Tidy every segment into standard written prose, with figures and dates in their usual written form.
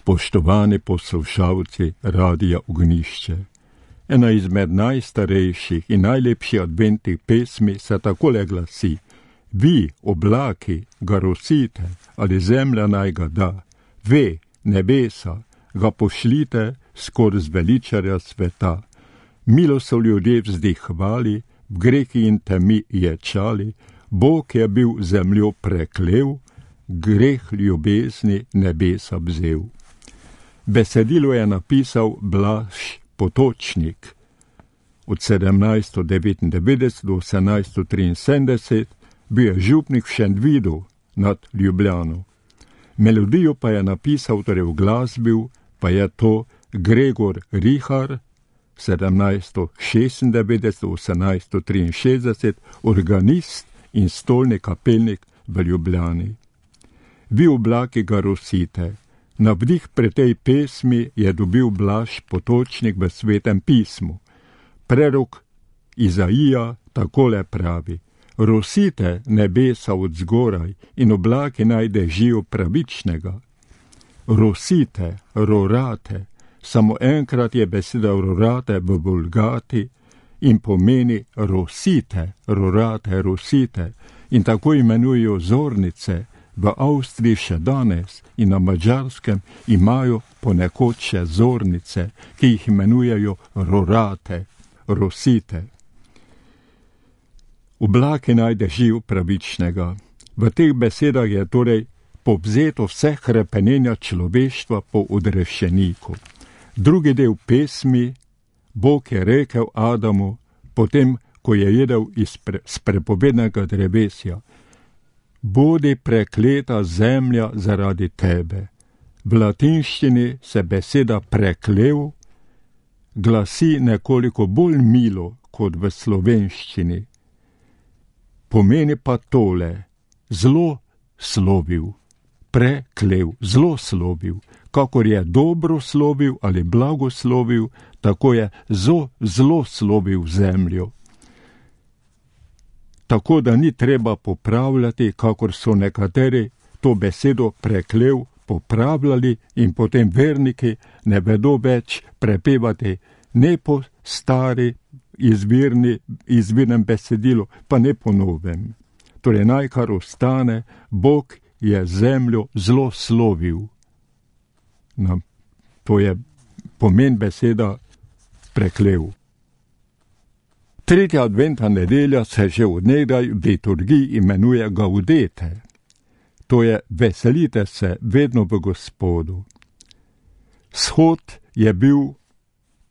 Spoštovani poslušalci Radia Ognjišče, ena izmed najstarejših in najlepših adventnih pesmi se takole glasi: Vi, oblaki, ga rosite, ali zemlja naj ga da, ve, nebesa, ga pošljite skozi veličarja sveta. Milo so ljudje vzdihvali, v grehi in temi ječali, Bog je bil zemljo preklel, greh ljubezni nebesa vzel. Besedilo je napisal Blaž Potočnik. Od 1799 do 1873 bil je župnik v Šentvidu nad Ljubljano. Melodijo pa je napisal, torej uglasbil, pa je to Gregor Richar, 1796–1863, organist in stolni kapelnik v Ljubljani. Vi, oblaki, ga rosite. Navdih pri tej pesmi je dobil Blaž Potočnik v Svetem pismu. Prerok Izaija takole pravi: Rosite nebesa od zgoraj in oblaki naj dežijo pravičnega. Rosite, rorate, samo enkrat je beseda rorate v Vulgati in pomeni rosite, rorate, rosite, in tako imenujejo zornice. V Avstriji še danes in na Madžarskem imajo ponekod še zornice, ki jih imenujejo rorate, rosite. Oblaki naj dežijo pravičnega. V teh besedah je torej povzeto vse hrepenenja človeštva po odrešeniku. Drugi del pesmi: Bog je rekel Adamu, potem, ko je jedel iz prepovednega drevesja: Bodi prekleta zemlja zaradi tebe. V latinščini se beseda preklev glasi nekoliko bolj milo kot v slovenščini. Pomeni pa tole: zlo slovil, preklev, zlo slovil. Kakor je dobro slovil ali blagoslovil, tako je zlo slovil zemljo. Tako da ni treba popravljati, kakor so nekateri to besedo preklev popravljali in potem verniki ne vedo več prepevati ne po stari izvirnem besedilu, pa ne po novem. Torej naj kar ostane: Bog je zemljo zlo slovil. No, to je pomen beseda preklev. Tretja adventna nedelja se že od nekdaj v liturgiji imenuje Gaudete. To je veselite se vedno v Gospodu. Shod je bil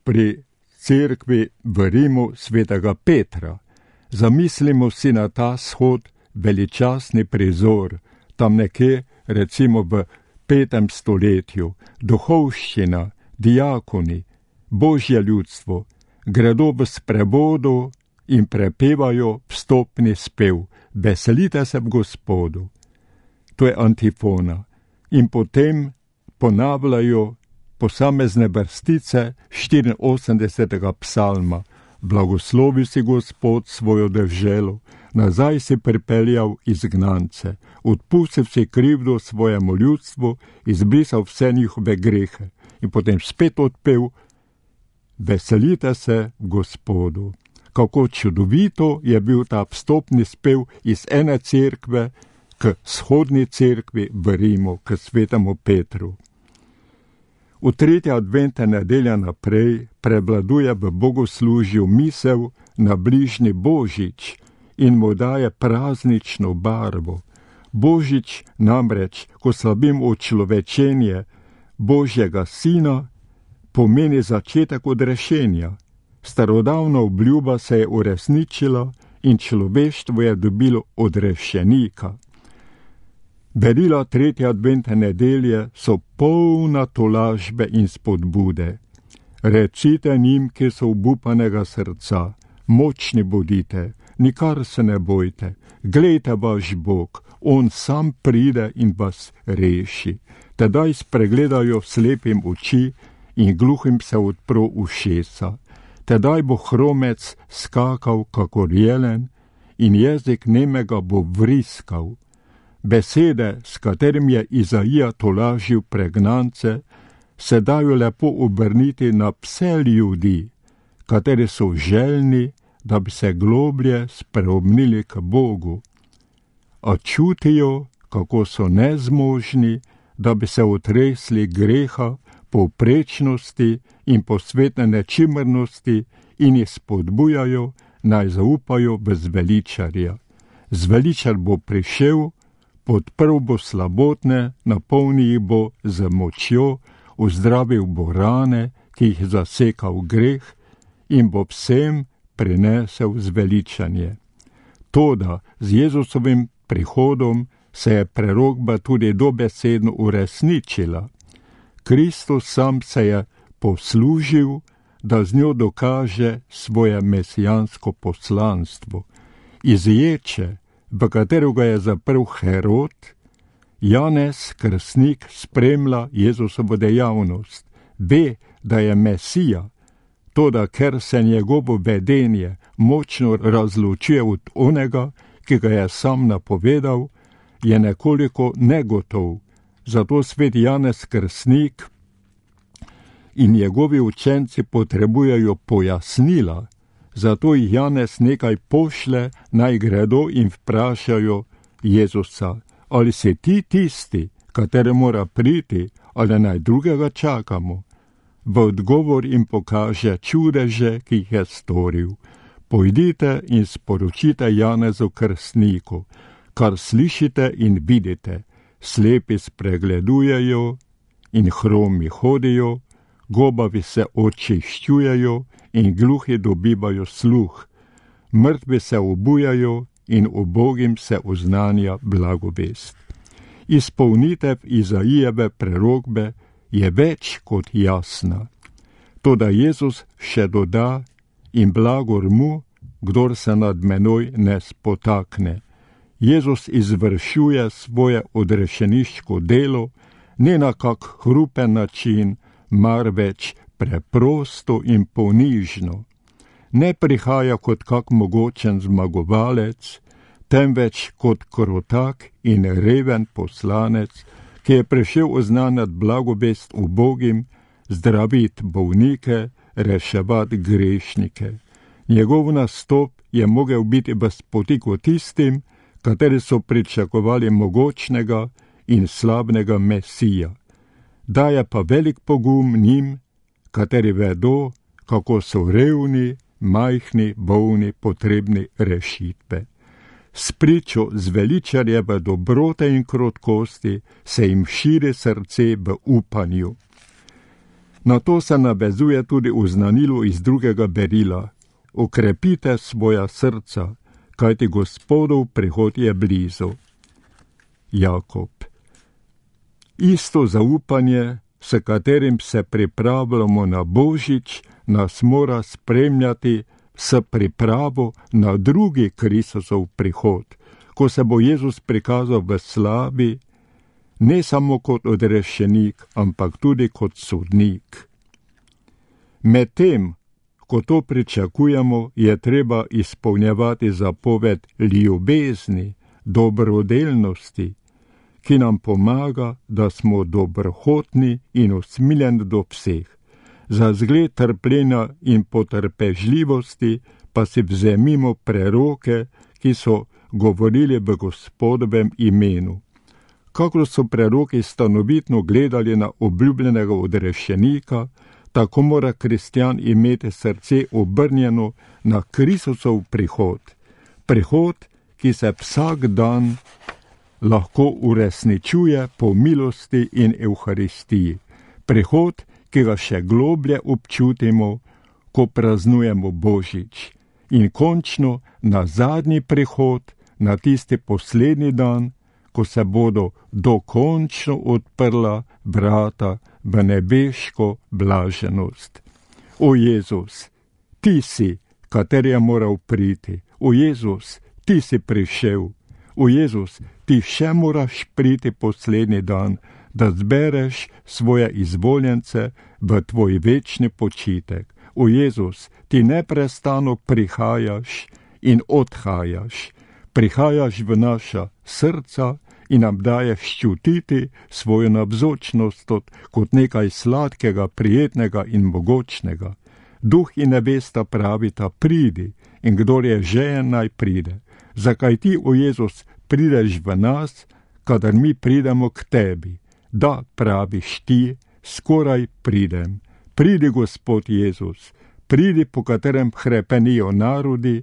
pri cerkvi v Rimu svetega Petra. Zamislimo si na ta shod veličastni prizor, tam nekje recimo v 5. stoletju, duhovščina, diakoni, božje ljudstvo gredo v sprevodu in prepevajo vstopni spev: Veselite se v Gospodu. To je antifona. In potem ponavljajo posamezne vrstice 84. psalma: Blagoslovi si Gospod svojo deželo, nazaj si pripeljal izgnance, odpustil si krivdo svojemu ljudstvu, izbrisal vse njihove grehe. In potem spet odpev: Veselite se v Gospodu. Kako čudovito je bil ta vstopni spev iz ene cerkve k shodni cerkvi v Rimu, k svetemu Petru. V tretji adventne nedelja naprej prevladuje v bogoslužju misel na bližnji Božič in mu daje praznično barvo. Božič namreč, ko slavimo očlovečenje Božjega Sina, pomeni začetek odrešenja. Starodavna obljuba se je uresničila in človeštvo je dobilo odrešenika. Berila tretje adventne nedelje so polna tolažbe in spodbude. Recite njim, ki so obupanega srca: Močni bodite, nikar se ne bojte, glejte vaš Bog, on sam pride in vas reši. Tedaj spregledajo slepim oči in gluhim se odpro ušesa. Tedaj bo hromec skakal kakor jelen in jezik nemega bo vriskal. Besede, s katerim je Izaija tolažil pregnance, se dajo lepo obrniti na vse ljudi, kateri so željni, da bi se globlje spreobrnili k Bogu, a čutijo, kako so nezmožni, da bi se otresli greha, povprečnosti in posvetne nečimrnosti in jih spodbujajo, naj zaupajo v zveličarja. Zveličar bo prišel, podprl bo slabotne, napolnil jih bo z močjo, ozdravil bo rane, ki jih zasekal greh, in bo vsem prinesel zveličanje. Toda z Jezusovim prihodom se je prerokba tudi dobesedno uresničila. Kristus sam se je poslužil, da z njo dokaže svoje mesijansko poslanstvo. Iz ječe, v katero ga je zaprl Herod, Janez Krstnik spremlja Jezusovo dejavnost, ve, da je Mesija, toda ker se njegovo vedenje močno razločuje od onega, ki ga je sam napovedal, je nekoliko negotov. Zato svet Janez Krstnik in njegovi učenci potrebujejo pojasnila, zato jih Janez nekaj pošle, naj gredo in vprašajo Jezusa, ali si ti tisti, kateri mora priti, ali naj drugega čakamo. V odgovor jim pokaže čudeže, ki jih je storil. Pojdite in sporočite Janezu Krstniku, kar slišite in vidite, slepi spregledujejo in hromi hodijo, gobavi se očiščujejo in gluhi dobivajo sluh, mrtvi se obujajo in ubogim se oznanja blagovest. Izpolnitev Izaijeve prerokbe je več kot jasna. Toda Jezus še doda, in blagor mu, kdor se nad menoj ne spotakne. Jezus izvršuje svoje odrešeniško delo, ne na kak hrupen način, marveč preprosto in ponižno. Ne prihaja kot kak mogočen zmagovalec, temveč kot krotak in reven poslanec, ki je prišel oznanjati blagovest ubogim, zdraviti bolnike, reševati grešnike. Njegov nastop je mogel biti v spotiku tistim, kateri so pričakovali mogočnega in slabnega Mesija. Daje pa velik pogum njim, kateri vedo, kako so revni, majhni, bolni, potrebni rešitve. S pričo zveličarjeve dobrote in krotkosti se jim širi srce v upanju. Na to se navezuje tudi oznanilo iz drugega berila. Okrepite svoja srca, kajti Gospodov prihod je blizu. Jakob. Isto zaupanje, s katerim se pripravljamo na Božič, nas mora spremljati s pripravo na drugi Kristusov prihod, ko se bo Jezus prikazal v slavi, ne samo kot odrešenik, ampak tudi kot sodnik. Medtem, ko to pričakujemo, je treba izpolnjevati zapoved ljubezni, dobrodelnosti, ki nam pomaga, da smo dobrohotni in usmiljeni do vseh. Za zgled trpljenja in potrpežljivosti pa si vzemimo preroke, ki so govorili v Gospodovem imenu. Kakor so preroki stanovitno gledali na obljubljenega odrešenika, tako mora kristjan imeti srce obrnjeno na Kristusov prihod. Prihod, ki se vsak dan lahko uresničuje po milosti in Evharistiji. Prihod, ki ga še globlje občutimo, ko praznujemo Božič. In končno na zadnji prihod, na tisti poslednji dan, ko se bodo dokončno odprla vrata v nebeško blaženost. O Jezus, ti si, kateri je moral priti. O Jezus, ti si prišel. O Jezus, ti še moraš priti poslednji dan, da zbereš svoje izvoljence v tvoj večni počitek. O Jezus, ti neprestano prihajaš in odhajaš. Prihajaš v naša srca in nam daje ščutiti svojo navzočnost kot nekaj sladkega, prijetnega in mogočnega. Duh in nevesta pravita, pridi, in kdor je žejen, naj pride. Zakaj ti, o Jezus, prideš v nas, kadar mi pridemo k tebi? Da, praviš ti, skoraj pridem. Pridi, Gospod Jezus, pridi, po katerem hrepenijo narodi,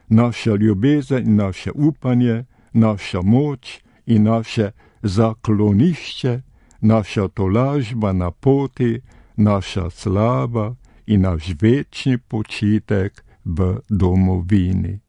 naša ljubezen in naše upanje, naša moč in naše zaklonišče, naša tolažba na poti, naša slava in naš večni počitek v domovini.